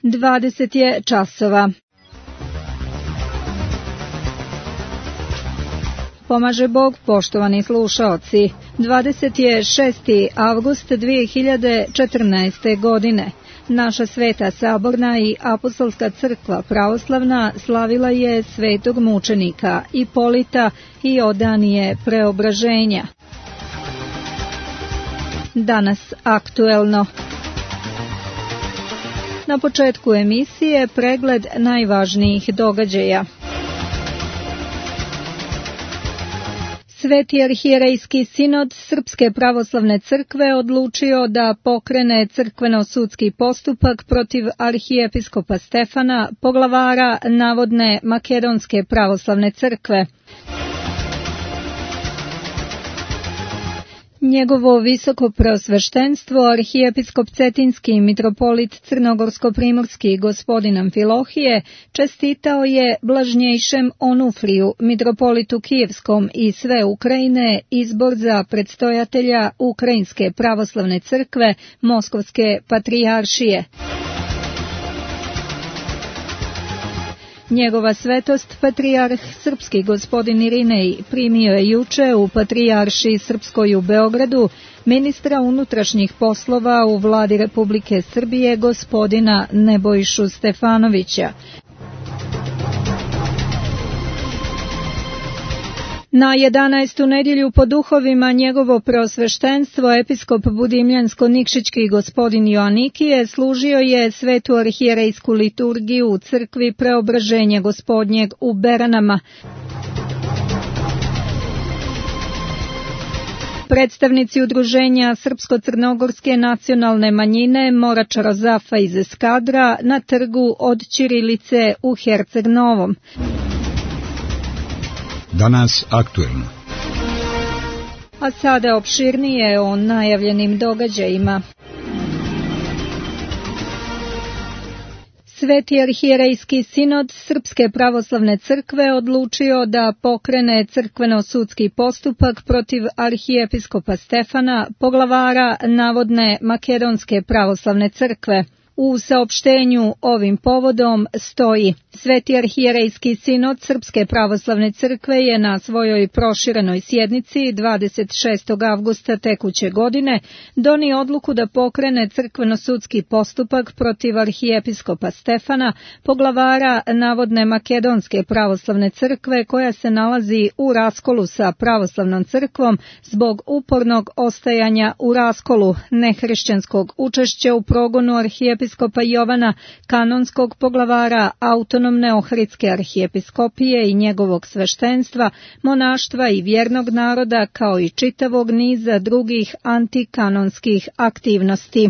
20 je časova. Pomaže Bog, poštovani slušaoci. 26. avgust 2014. godine. Naša Sveta Saborna i Apostolska crkva pravoslavna slavila je svetog mučenika Ipolita i Odanije Preobraženja. Danas aktuelno. Na početku emisije pregled najvažnijih događaja. Sveti arhijerejski sinod Srpske pravoslavne crkve odlučio da pokrene crkveno-sudski postupak protiv arhijepiskopa Stefana, poglavara navodne Makedonske pravoslavne crkve. Njegovo visoko preosveštenstvo, arhijepiskop Cetinski mitropolit Crnogorsko-primorski gospodin Amfilohije, čestitao je blažnjejšem Onufriju, mitropolitu Kijevskom i sve Ukrajine, izbor za predstojatelja Ukrajinske pravoslavne crkve Moskovske patrijaršije. Njegova svetost, patrijarh srpski gospodin Irinej, primio je juče u patrijaršiji srpskoj u Beogradu ministra unutrašnjih poslova u vladi Republike Srbije gospodina Nebojšu Stefanovića. Na 11. nedjelju po duhovima njegovo preosveštenstvo episkop Budimljansko-Nikšićki gospodin Joanikije služio je svetu arhijerejsku liturgiju u crkvi Preobraženja gospodnjeg u Beranama. Predstavnici udruženja Srpsko-crnogorske nacionalne manjine Morača Rozafa iz Eskadra na trgu od Ćirilice u Herceg Novom. Danas aktuelno. A sada opširnije o najavljenim događajima. Sveti arhijerejski sinod Srpske pravoslavne crkve odlučio da pokrene crkveno-sudski postupak protiv arhijepiskopa Stefana, poglavara navodne Makedonske pravoslavne crkve. U saopštenju ovim povodom stoji: Sveti arhijerejski sinod Srpske pravoslavne crkve je na svojoj proširenoj sjednici 26. avgusta tekuće godine donio odluku da pokrene crkveno-sudski postupak protiv arhijepiskopa Stefana, poglavara navodne Makedonske pravoslavne crkve koja se nalazi u raskolu sa pravoslavnom crkvom zbog upornog ostajanja u raskolu, nehrišćanskog učešća u progonu arhijepiskopa Jovana, kanonskog poglavara autonomne Ohridske arhijepiskopije i njegovog sveštenstva, monaštva i vjernog naroda, kao i čitavog niza drugih antikanonskih aktivnosti.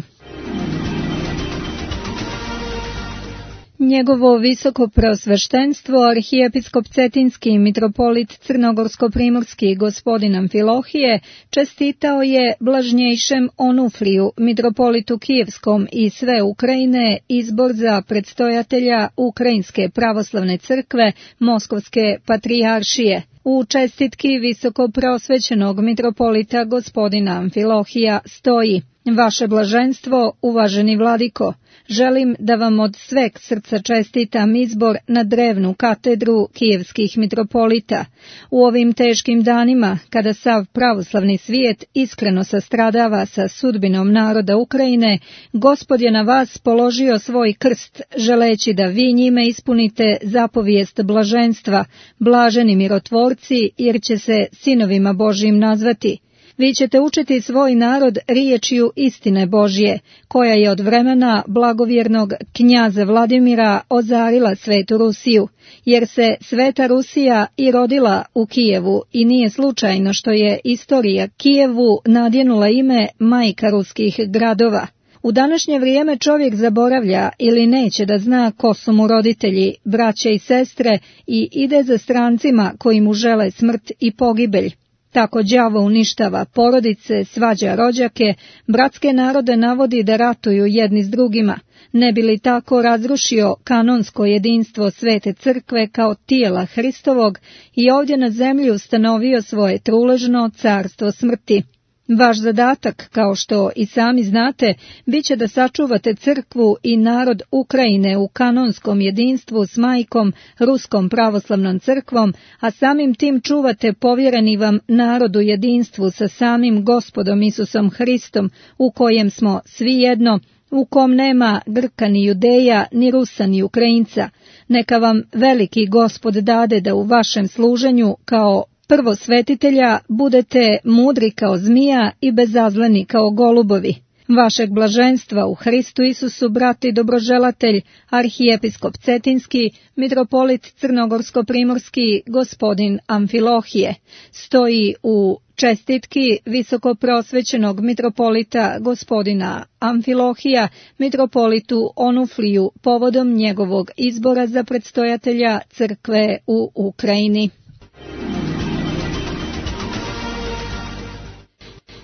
Njegovo visoko preosveštenstvo, arhijepiskop Cetinski mitropolit Crnogorsko-primorski gospodin Amfilohije, čestitao je blažnjejšem Onufriju, mitropolitu Kijevskom i sve Ukrajine, izbor za predstojatelja Ukrajinske pravoslavne crkve Moskovske patrijaršije. U čestitki visoko preosvećenog mitropolita gospodina Amfilohija stoji: Vaše blaženstvo, uvaženi vladiko, želim da vam od sveg srca čestitam izbor na drevnu katedru kijevskih mitropolita. U ovim teškim danima, kada sav pravoslavni svijet iskreno sastradava sa sudbinom naroda Ukrajine, Gospod je na vas položio svoj krst, želeći da vi njime ispunite zapovijest blaženstva, blaženi mirotvorci, jer će se sinovima Božjim nazvati. Vi ćete učiti svoj narod riječju istine Božje, koja je od vremena blagovjernog knjaza Vladimira ozarila svetu Rusiju, jer se sveta Rusija i rodila u Kijevu i nije slučajno što je istorija Kijevu nadjenula ime majka ruskih gradova. U današnje vrijeme čovjek zaboravlja ili neće da zna ko su mu roditelji, braće i sestre i ide za strancima koji mu žele smrt i pogibelj. Tako đavo uništava porodice, svađa rođake, bratske narode navodi da ratuju jedni s drugima, ne bi li tako razrušio kanonsko jedinstvo Svete crkve kao tijela Hristovog i ovdje na zemlji ustanovio svoje truležno carstvo smrti. Vaš zadatak, kao što i sami znate, bit će da sačuvate crkvu i narod Ukrajine u kanonskom jedinstvu s majkom, Ruskom pravoslavnom crkvom, a samim tim čuvate povjereni vam narod u jedinstvu sa samim Gospodom Isusom Hristom, u kojem smo svi jedno, u kom nema Grka ni Judeja, ni Rusa ni Ukrajinca. Neka vam veliki Gospod dade da u vašem služenju kao prvosvetitelja budete mudri kao zmija i bezazleni kao golubovi. Vašeg blaženstva u Hristu Isusu, brat i dobroželatelj, arhijepiskop Cetinski, mitropolit Crnogorsko-primorski, gospodin Amfilohije, stoji u čestitki visokoprosvećenog mitropolita gospodina Amfilohija, mitropolitu Onufliju, povodom njegovog izbora za predstojatelja crkve u Ukrajini.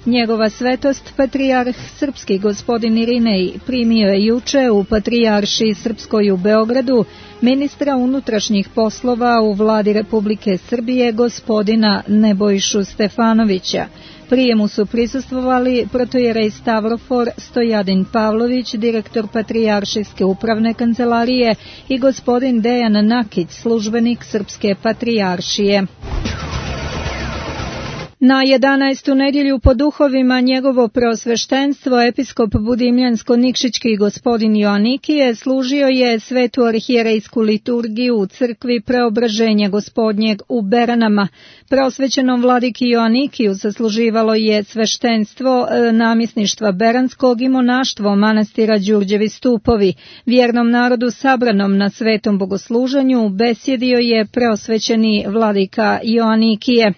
Njegova svetost, patrijarh srpski gospodin Irinej, primio je juče u Patrijaršiji Srpskoj u Beogradu ministra unutrašnjih poslova u vladi Republike Srbije gospodina Nebojšu Stefanovića. Prijemu su prisustvovali protojerej Stavrofor Stojadin Pavlović, direktor Patrijaršijske upravne kancelarije, i gospodin Dejan Nakić, službenik Srpske patrijaršije. Na 11. nedjelju po duhovima njegovo preosveštenstvo episkop Budimljansko-Nikšićki gospodin Joanikije služio je svetu arhijerejsku liturgiju u crkvi Preobraženja Gospodnjeg u Beranama. Preosvećenom vladiki Joanikiju sasluživalo je sveštenstvo namjesništva Beranskog i monaštvo manastira Đurđevi stupovi. Vjernom narodu sabranom na svetom bogosluženju besjedio je preosvećeni vladika Joanikije.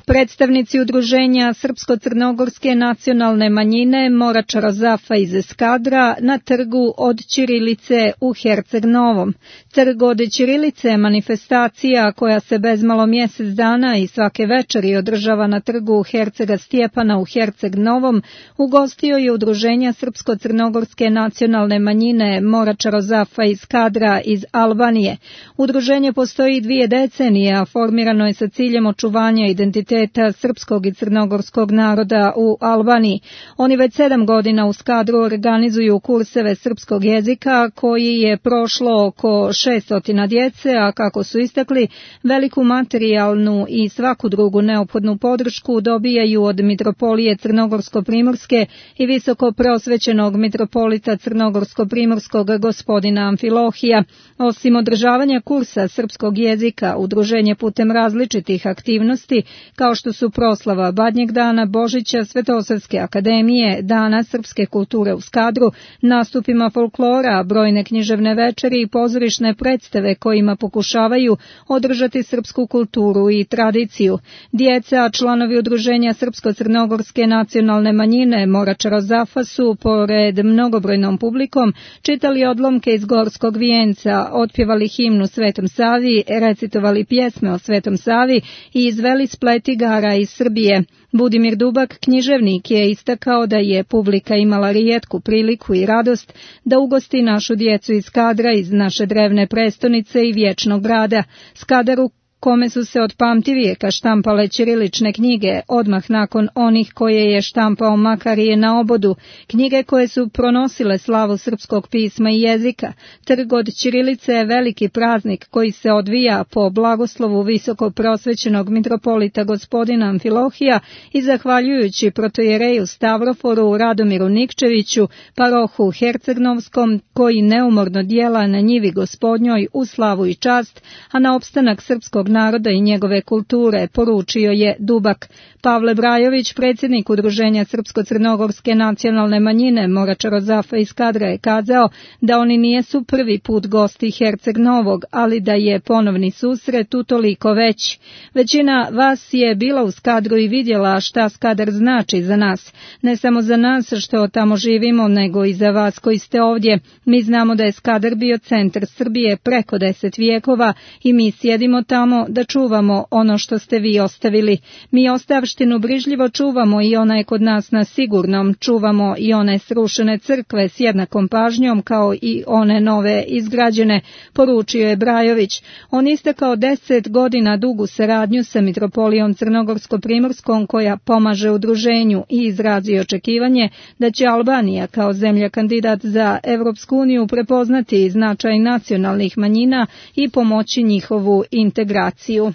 Predstavnici udruženja Srpsko-crnogorske nacionalne manjine Morača Rozafa iz Eskadra na trgu od Ćirilice u Herceg Novom. Trg od Ćirilice je manifestacija koja se bezmalo mjesec dana i svake večeri održava na trgu Hercega Stjepana u Herceg Novom. Ugostio je udruženja Srpsko-crnogorske nacionalne manjine Morača Rozafa iz Skadra iz Albanije. Udruženje postoji 2 decenije, a formirano je sa ciljem očuvanja identiteta srpskog i crnogorskog naroda u Albaniji. Oni već 7 godina u Skadru organizuju kurseve srpskog jezika koji je prošlo oko 600 djece, a kako su istakli, veliku materijalnu i svaku drugu neophodnu podršku dobijaju od mitropolije Crnogorsko-primorske i visoko preosvećenog mitropolita Crnogorsko-primorskog gospodina Amfilohija. Osim održavanja kursa srpskog jezika, udruženje putem različitih aktivnosti kao što su proslava Badnjeg dana, Božića, Svetosavske akademije, Dana srpske kulture u Skadru, nastupima folklora, brojne književne večeri i pozorišne predstave kojima pokušavaju održati srpsku kulturu i tradiciju. Djeca, članovi udruženja Srpsko-crnogorske nacionalne manjine Morača Rozafa su, pored mnogobrojnom publikom, čitali odlomke iz Gorskog vijenca, otpjevali himnu Svetom Savi, recitovali pjesme o Svetom Savi i izveli splet igara iz Srbije. Budimir Dubak, književnik, je istakao da je publika imala rijetku priliku i radost da ugosti našu djecu iz Skadra, iz naše drevne prestonice i vječnog grada. Skadar u kome su se od pamtivijeka štampale ćirilične knjige, odmah nakon onih koje je štampao Makarije na obodu, knjige koje su pronosile slavu srpskog pisma i jezika. Trg od ćirilice je veliki praznik koji se odvija po blagoslovu visoko prosvećenog mitropolita gospodina Amfilohija i zahvaljujući protojereju Stavroforu Radomiru Nikčeviću, parohu Hercegnovskom, koji neumorno djela na njivi gospodnjoj u slavu i čast, a na opstanak srpskog naroda i njegove kulture, poručio je Dubak. Pavle Brajović, predsjednik udruženja Srpsko-crnogorske nacionalne manjine Morača Rozafa iz Skadra, je kazao da oni nijesu prvi put gosti Herceg Novog, ali da je ponovni susret utoliko veći. Većina vas je bila u Skadru i vidjela šta Skadar znači za nas. Ne samo za nas što tamo živimo, nego i za vas koji ste ovdje. Mi znamo da je Skadar bio centar Srbije preko 10 vijekova i mi sjedimo tamo samo da čuvamo ono što ste vi ostavili. Mi ostavštinu brižljivo čuvamo i ona je kod nas na sigurnom. Čuvamo i one srušene crkve s jednakom pažnjom kao i one nove izgrađene, poručio je Brajović. On istakao 10 godina dugu saradnju sa mitropolijom Crnogorsko-primorskom koja pomaže udruženju i izrazi očekivanje da će Albanija kao zemlja kandidat za Evropsku uniju prepoznati značaj nacionalnih manjina i pomoći njihovu integraciju.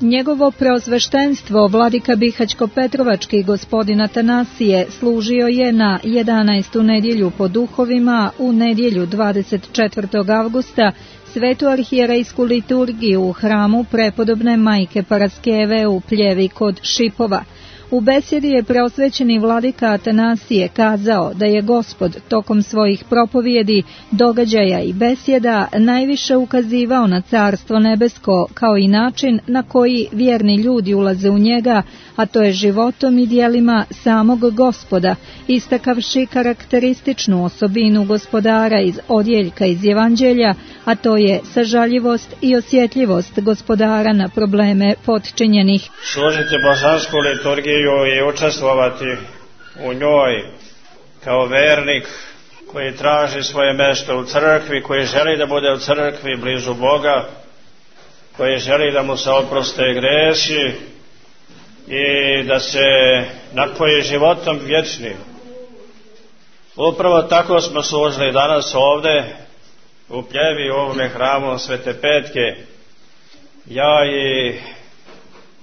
Njegovo preosveštenstvo vladika Bihaćko-Petrovački gospodin Atanasije služio je na 11. nedjelju po duhovima u nedjelju 24. avgusta svetu arhijerejsku liturgiju u hramu prepodobne majke Paraskeve u Pljevi kod Šipova. U besjedi je preosvećeni vladika Atanasije kazao da je Gospod tokom svojih propovjedi, događaja i besjeda najviše ukazivao na Carstvo nebesko kao i način na koji vjerni ljudi ulaze u njega, a to je životom i djelima samog Gospoda, istakavši karakterističnu osobinu gospodara iz odjeljka iz Evanđelja, a to je sažaljivost i osjetljivost gospodara na probleme potčinjenih. Služiti božansku liturgiju i učestvovati u njoj kao vernik koji traži svoje mjesto u crkvi, koji želi da bude u crkvi blizu Boga, koji želi da mu se oproste gresi i da se napoji životom vječnim. Upravo tako smo služili danas ovdje u Pljevi, u ovome hramu Svete Petke, ja i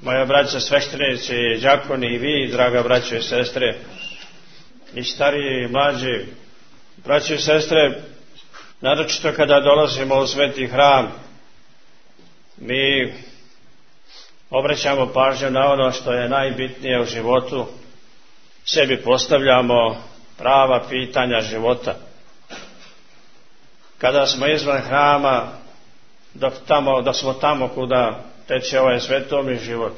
moja braća sveštenici, đakoni i vi, draga braćo i sestre, i stariji i mlađi, braćo i sestre, naročito kada dolazimo u sveti hram, mi obraćamo pažnju na ono što je najbitnije u životu, sebi postavljamo prava pitanja života. Kada smo izvan hrama, dok smo tamo kuda teče ovaj svetovni život,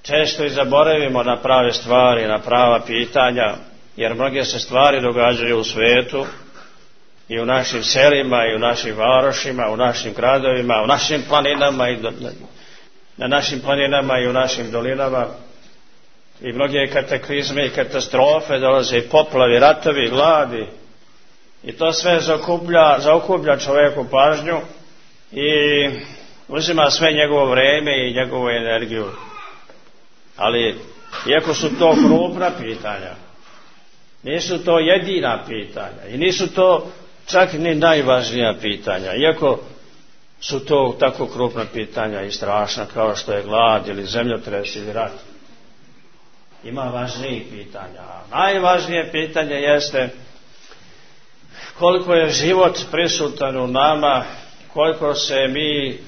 često i zaboravimo na prave stvari, na prava pitanja, jer mnoge se stvari događaju u svijetu i u našim selima i u našim varošima, u našim gradovima, u našim planinama i na našim planinama i u našim dolinama, i mnoge kataklizme i katastrofe, dolaze i poplavi, ratovi, gladi, i to sve zaokuplja čovjeku pažnju i uzima sve njegovo vrijeme i njegovu energiju. Ali iako su to krupna pitanja, nisu to jedina pitanja i nisu to čak ni najvažnija pitanja, iako su to tako krupna pitanja i strašna kao što je glad ili zemljotres ili rat. Ima važnijih pitanja. Najvažnije pitanje jeste koliko je život prisutan u nama, koliko se mi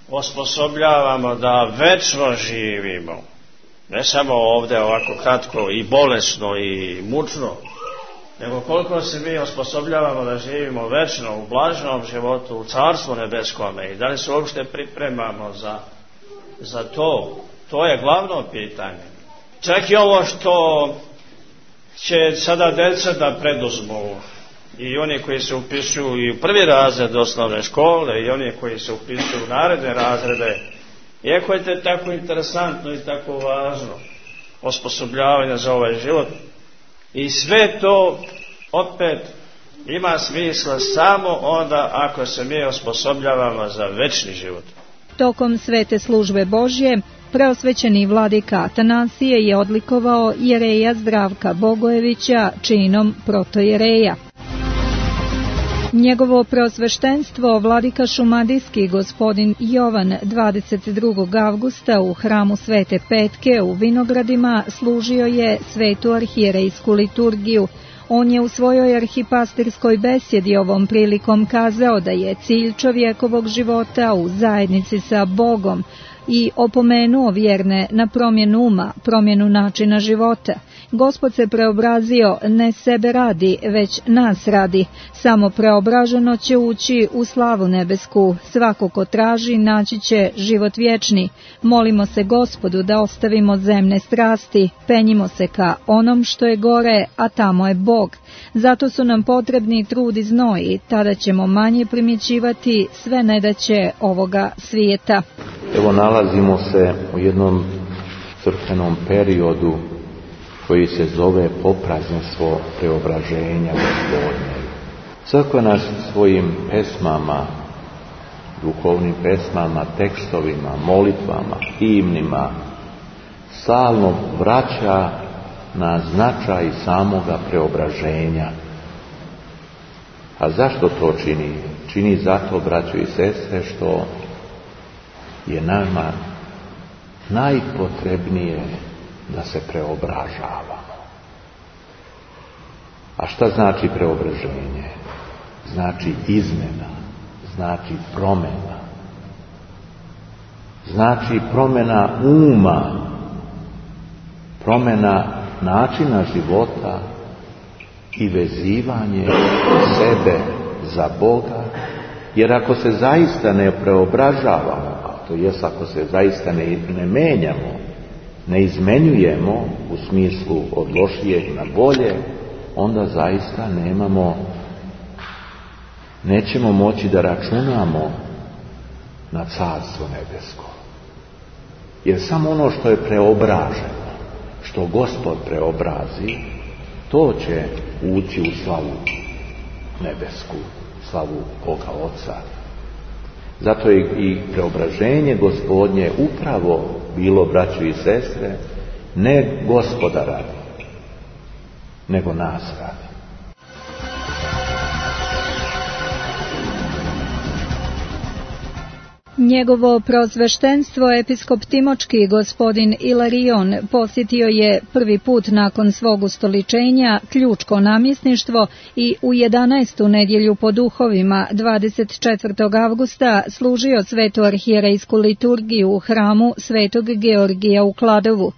osposobljavamo da večno živimo, ne samo ovdje ovako kratko i bolesno i mučno, nego koliko se mi osposobljavamo da živimo večno u blaženom životu, u Carstvu nebeskome, i da li se uopšte pripremamo za to. To je glavno pitanje. Čak i ovo što će sada djeca da preduzmu, i oni koji se upisuju i u prvi razred osnovne škole i oni koji se upisuju u naredne razrede, iako je to tako interesantno i tako važno osposobljavanje za ovaj život, i sve to opet ima smisla samo onda ako se mi osposobljavamo za večni život. Tokom svete službe Božje preosvećeni vladika Atanasije je odlikovao jereja Zdravka Bogojevića činom protojereja. Njegovo preosveštenstvo vladika šumadijski gospodin Jovan 22. avgusta u hramu Svete Petke u Vinogradima služio je svetu arhijerejsku liturgiju. On je u svojoj arhipastirskoj besjedi ovom prilikom kazao da je cilj čovjekovog života u zajednici sa Bogom i opomenuo vjerne na promjenu uma, promjenu načina života. Gospod se preobrazio ne sebe radi, već nas radi. Samo preobraženo će ući u slavu nebesku. Svako ko traži, naći će život vječni. Molimo se Gospodu da ostavimo zemne strasti, penjimo se ka onom što je gore, a tamo je Bog. Zato su nam potrebni trud i znoj, tada ćemo manje primjećivati sve nedaće ovoga svijeta. Evo, nalazimo se u jednom crkvenom periodu koji se zove popraznenstvo preobraženja Gospodnje. Crkva nas svojim pesmama, duhovnim pesmama, tekstovima, molitvama, himnima stalno vraća na značaj samoga preobraženja. A zašto to čini? Čini zato, braćo i sestre, što je nama najpotrebnije da se preobražavamo. A šta znači preobraženje? Znači izmjena, znači promjena. Znači promjena uma, promjena načina života i vezivanje sebe za Boga. Jer ako se zaista ne preobražavamo, to jest ako se zaista ne menjamo, ne izmenjujemo u smislu od lošijeg na bolje, onda zaista nećemo moći da računamo na Carstvo nebesko. Jer samo ono što je preobraženo, što Gospod preobrazi, to će ući u slavu nebesku, slavu Boga Oca. Zato je i preobraženje Gospodnje upravo bilo, braćo i sestre, ne Gospoda radi, nego nas radi. Njegovo preosveštenstvo episkop Timočki gospodin Ilarion posjetio je prvi put nakon svog ustoličenja ključko namjesništvo i u 11. nedjelju po duhovima 24. avgusta služio svetu arhijerejsku liturgiju u hramu Svetog Georgija u Kladovu.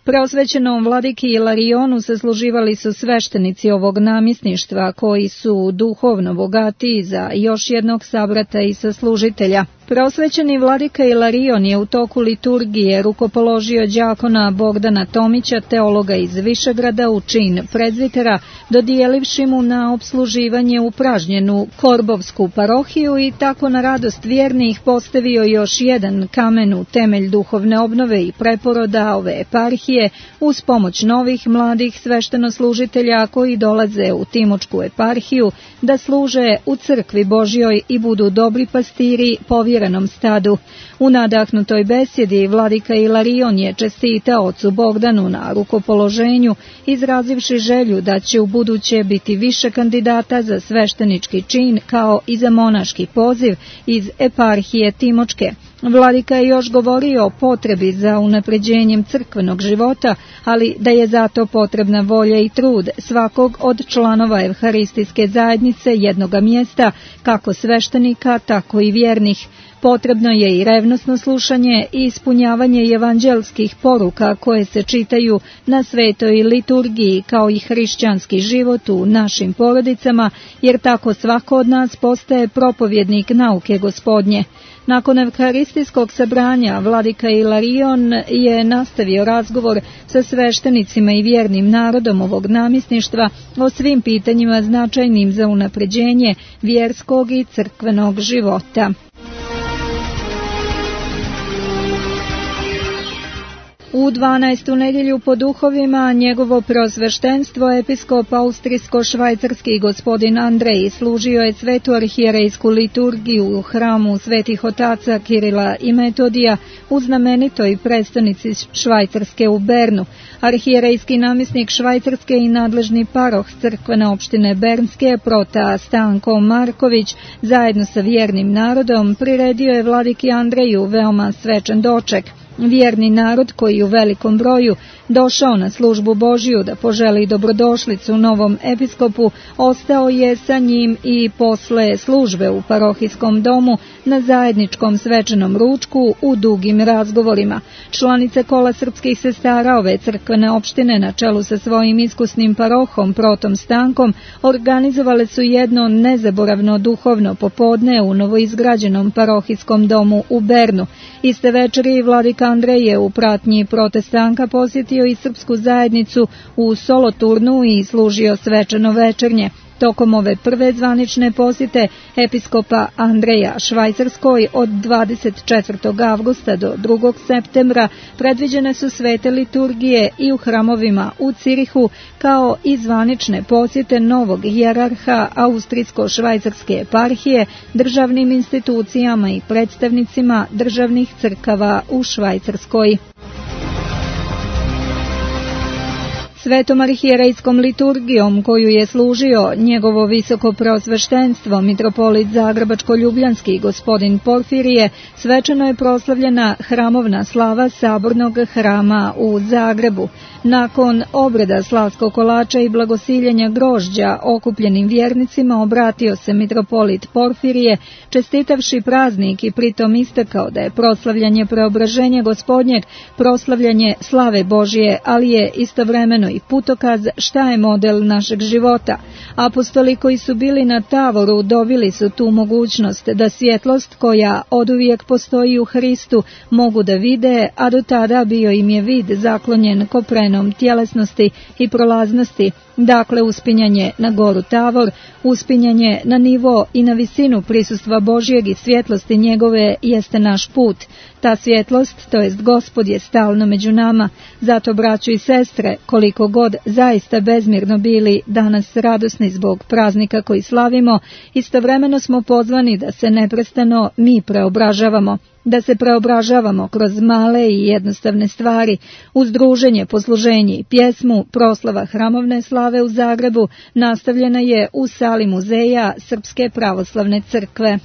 Preosvećenom vladiki Ilarionu sasluživali su sveštenici ovog namjesništva koji su duhovno bogatiji za još jednog sabrata i saslužitelja. Preosvećeni vladika Ilarion je u toku liturgije rukopoložio đakona Bogdana Tomića, teologa iz Višegrada, u čin prezvitera, dodijelivši mu na opsluživanje upražnjenu Korbovsku parohiju i tako na radost vjernih postavio još jedan kamen u temelj duhovne obnove i preporoda ove eparhije uz pomoć novih mladih sveštenoslužitelja koji dolaze u Timočku eparhiju da služe u crkvi Božjoj i budu dobri pastiri povjerenom stadu. U nadahnutoj besjedi vladika Ilarion je čestitao ocu Bogdanu na rukopoloženju, izrazivši želju da će u buduće biti više kandidata za sveštenički čin kao i za monaški poziv iz eparhije Timočke. Vladika je još govorio o potrebi za unapređenjem crkvenog života, ali da je zato potrebna volja i trud svakog od članova evharistijske zajednice jednoga mjesta, kako sveštenika, tako i vjernih. Potrebno je i revnosno slušanje i ispunjavanje evanđelskih poruka koje se čitaju na svetoj liturgiji, kao i hrišćanski život u našim porodicama, jer tako svako od nas postaje propovjednik nauke Gospodnje. Nakon evharistijskog sabranja vladika Ilarion je nastavio razgovor sa sveštenicima i vjernim narodom ovog namjesništva o svim pitanjima značajnim za unapređenje vjerskog i crkvenog života. U 12. nedjelju po duhovima njegovo preosveštenstvo episkop austrijsko-švajcarski gospodin Andrej služio je svetu arhijerejsku liturgiju u hramu svetih otaca Kirila i Metodija u znamenitoj prestonici Švajcarske u Bernu. Arhijerejski namjesnik Švajcarske i nadležni paroh crkvene opštine Bernske prota Stanko Marković zajedno sa vjernim narodom priredio je vladiki Andreju veoma svečan doček. Vjerni narod koji u velikom broju došao na službu Božiju da poželi dobrodošlicu novom episkopu, ostao je sa njim i posle službe u parohijskom domu na zajedničkom svečanom ručku u dugim razgovorima. Članice kola srpskih sestara ove crkvene opštine na čelu sa svojim iskusnim parohom Protom Stankom organizovale su jedno nezaboravno duhovno popodne u novoizgrađenom parohijskom domu u Bernu. Iste večeri vladika Andrej je u pratnji Prote Stanka posjetio i srpsku zajednicu u Soloturnu i služio svečano večernje. Tokom ove prve zvanične posjete episkopa Andreja Švajcarskoj od 24. avgusta do 2. septembra predviđene su svete liturgije i u hramovima u Cirihu, kao i zvanične posjete novog hijerarha Austrijsko-švajcarske eparhije, državnim institucijama i predstavnicima državnih crkava u Švajcarskoj. Svetom arhijerejskom liturgijom koju je služio njegovo visoko preosveštenstvo mitropolit Zagrebačko-ljubljanski gospodin Porfirije, svečano je proslavljena hramovna slava Sabornog hrama u Zagrebu. Nakon obreda slavskog kolača i blagosiljenja grožđa okupljenim vjernicima obratio se mitropolit Porfirije, čestitavši praznik i pritom istakao da je proslavljanje preobraženja Gospodnjeg proslavljanje slave Božije, ali je istovremeno i putokaz šta je model našeg života. Apostoli koji su bili na Tavoru dobili su tu mogućnost da svjetlost koja oduvijek postoji u Hristu mogu da vide, a do tada bio im je vid zaklonjen koprenom tjelesnosti i prolaznosti. Dakle, uspinjanje na goru Tavor, uspinjanje na nivo i na visinu prisustva Božjeg i svjetlosti njegove jeste naš put. Ta svjetlost, to jest Gospod, je stalno među nama. Zato, braćo i sestre, koliko god zaista bezmirno bili danas radosni zbog praznika koji slavimo, istovremeno smo pozvani da se neprestano mi preobražavamo. Da se preobražavamo kroz male i jednostavne stvari, uz druženje, posluženje i pjesmu. Proslava hramovne slave u Zagrebu nastavljena je u sali muzeja Srpske pravoslavne crkve.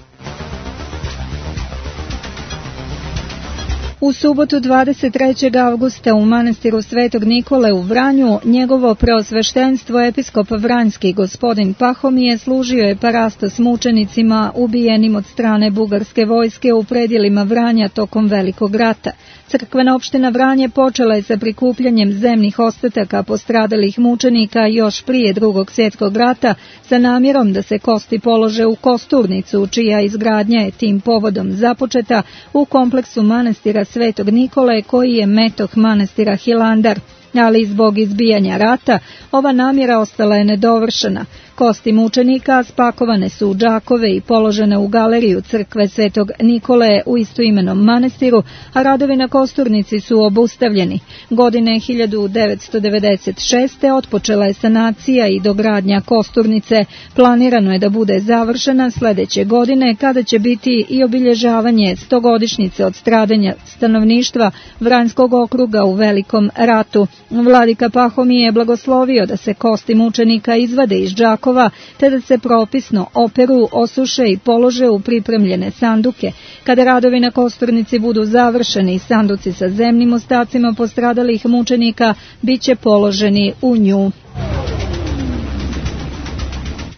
U subotu 23. avgusta u manastiru Svetog Nikole u Vranju njegovo preosveštenstvo episkop Vranjski gospodin Pahomije služio je parastos mučenicima ubijenim od strane bugarske vojske u predjelima Vranja tokom Velikog rata. Crkvena opština Vranje počela je sa prikupljanjem zemnih ostataka postradalih mučenika još prije Drugog svjetskog rata sa namjerom da se kosti polože u Kosturnicu, čija izgradnja je tim povodom započeta u kompleksu manastira Svetog Nikole koji je metoh manastira Hilandar. Ali zbog izbijanja rata ova namjera ostala je nedovršena. Kosti mučenika spakovane su u džakove i položene u galeriju crkve Svetog Nikole u istoimenom manastiru, a radovi na Kosturnici su obustavljeni. Godine 1996. otpočela je sanacija i dogradnja Kosturnice. Planirano je da bude završena sljedeće godine, kada će biti i obilježavanje 100-godišnjice od stradanja stanovništva Vranjskog okruga u Velikom ratu. Vladika Pahomije je blagoslovio da se kosti mučenika izvade iz džakova, te da se propisno operu, osuše i polože u pripremljene sanduke. Kada radovi na Kosturnici budu završeni i sanduci sa zemnim ostacima postradalih mučenika bit će položeni u nju.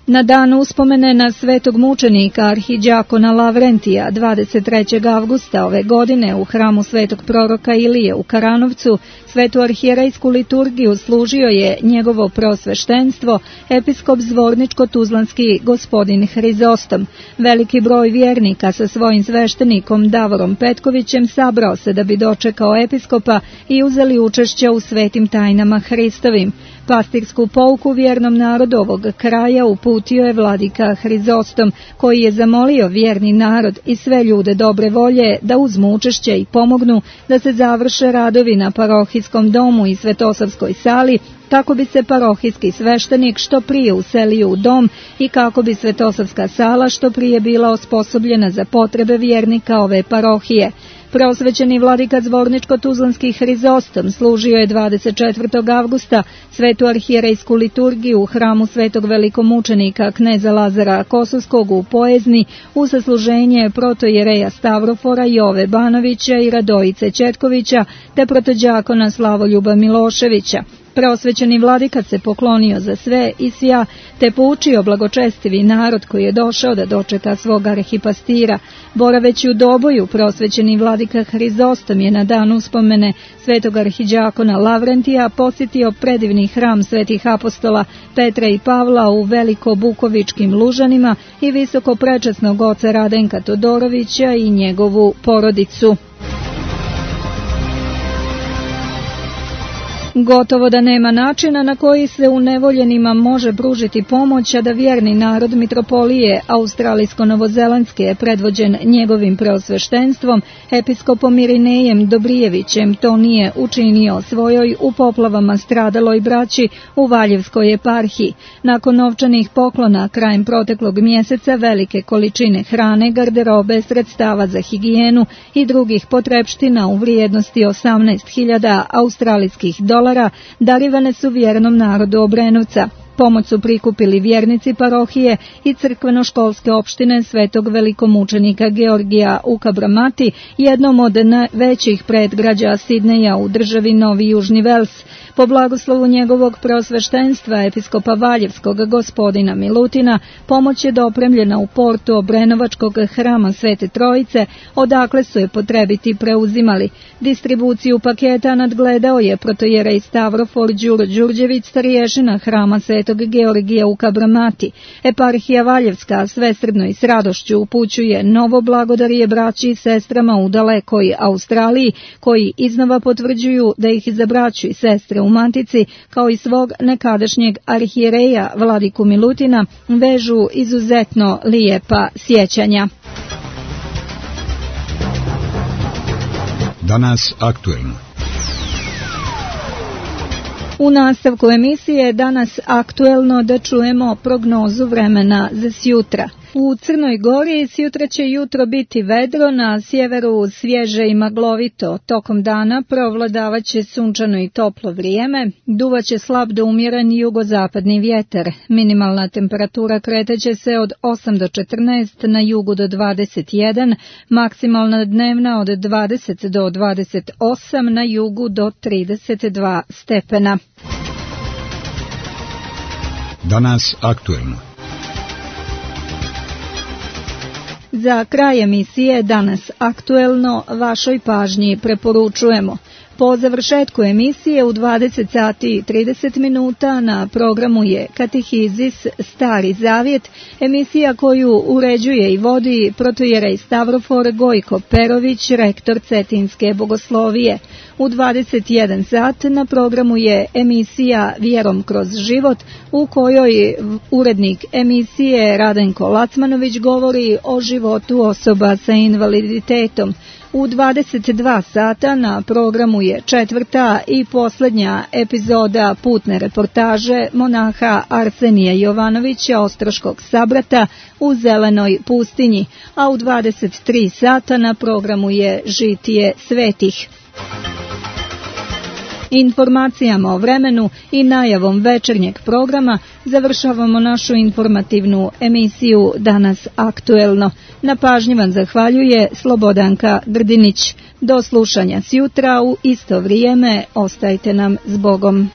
Na dan uspomene na svetog mučenika arhidjakona Lavrentija 23. avgusta ove godine u hramu svetog proroka Ilije u Karanovcu svetu arhijerejsku liturgiju služio je njegovo preosveštenstvo episkop Zvorničko-Tuzlanski gospodin Hrizostom. Veliki broj vjernika sa svojim sveštenikom Davorom Petkovićem sabrao se da bi dočekao episkopa i uzeli učešće u svetim tajnama Hristovim. Pastirsku pouku vjernom narodu ovog kraja uputio je vladika Hrizostom, koji je zamolio vjerni narod i sve ljude dobre volje da uzmu učešće i pomognu da se završe radovi na parohijskom domu i Svetosavskoj sali kako bi se parohijski sveštenik što prije uselio u dom i kako bi Svetosavska sala što prije bila osposobljena za potrebe vjernika ove parohije. Preosvećeni vladika Zvorničko-Tuzlanski Hrizostom služio je 24. avgusta svetu arhijerejsku liturgiju u hramu svetog velikomučenika kneza Lazara Kosovskog u Pojezni u sasluženje protojereja Stavrofora Jove Banovića i Radojice Četkovića te protođakona Slavoljuba Miloševića. Preosvećeni vladika se poklonio za sve i svja, te poučio blagočestivi narod koji je došao da dočeka svog arhipastira. Boraveći u Doboju, preosvećeni vladika Hrizostom je na dan uspomene svetog arhiđakona Lavrentija posjetio predivni hram svetih apostola Petra i Pavla u Veliko-Bukovičkim Lužanima i visoko prečasnog oca Radenka Todorovića i njegovu porodicu. Gotovo da nema načina na koji se unevoljenima može pružiti pomoć, a da vjerni narod mitropolije Australijsko-Novozelandske, predvođen njegovim preosveštenstvom, episkopom Irinejem Dobrijevićem, to nije učinio svojoj u poplavama stradaloj braći u Valjevskoj eparhiji. Nakon novčanih poklona krajem proteklog mjeseca, velike količine hrane, garderobe, sredstava za higijenu i drugih potrepština u vrijednosti 18.000 australijskih dolara darivane su vjernom narodu Obrenovca. Pomoć su prikupili vjernici parohije i crkveno-školske opštine svetog velikomučenika Georgija u Kabramati, jednom od najvećih predgrađa Sidneja u državi Novi Južni Vels. Po blagoslovu njegovog preosveštenstva episkopa Valjevskog gospodina Milutina, pomoć je dopremljena u portu Obrenovačkog hrama Svete Trojice, odakle su je potrebiti preuzimali. Distribuciju paketa nadgledao je protojerej Stavrofor Đuro Đurđević, starješina hrama Svetog Georgija u Kabramati. Eparhija Valjevska svesrdno i s radošću upućuje novo blagodarije braći i sestrama u dalekoj Australiji, koji iznova potvrđuju da ih za braću i sestre u Matici, kao i svog nekadašnjeg arhijereja vladiku Milutina, vežu izuzetno lijepa sjećanja. Danas aktuelno. U nastavku emisije danas aktuelno da čujemo prognozu vremena za sjutra. U Crnoj Gori sjutra će jutro biti vedro, na sjeveru svježe i maglovito. Tokom dana provladavat će sunčano i toplo vrijeme, duvaće slab do umjeren jugozapadni vjetar. Minimalna temperatura kreteće se od 8 do 14, na jugu do 21, maksimalna dnevna od 20 do 28, na jugu do 32 stepena. Danas aktuelno. Za kraj emisije danas aktuelno vašoj pažnji preporučujemo. Po završetku emisije u 20 sati i 30 minuta na programu je Katehizis Stari Zavjet, emisija koju uređuje i vodi protojerej Stavrofor Gojko Perović, rektor Cetinske bogoslovije. U 21 sat na programu je emisija Vjerom kroz život, u kojoj urednik emisije Radenko Lacmanović govori o životu osoba sa invaliditetom. U 22 sata na programu je četvrta i posljednja epizoda putne reportaže monaha Arsenija Jovanovića Ostroškog Sabrata u Zelenoj pustinji, a u 23 sata na programu je Žitije svetih. Informacijama o vremenu i najavom večernjeg programa završavamo našu informativnu emisiju Danas aktuelno. Na pažnji vam zahvaljuje Slobodanka Grdinić. Do slušanja sjutra u isto vrijeme, ostajte nam s Bogom.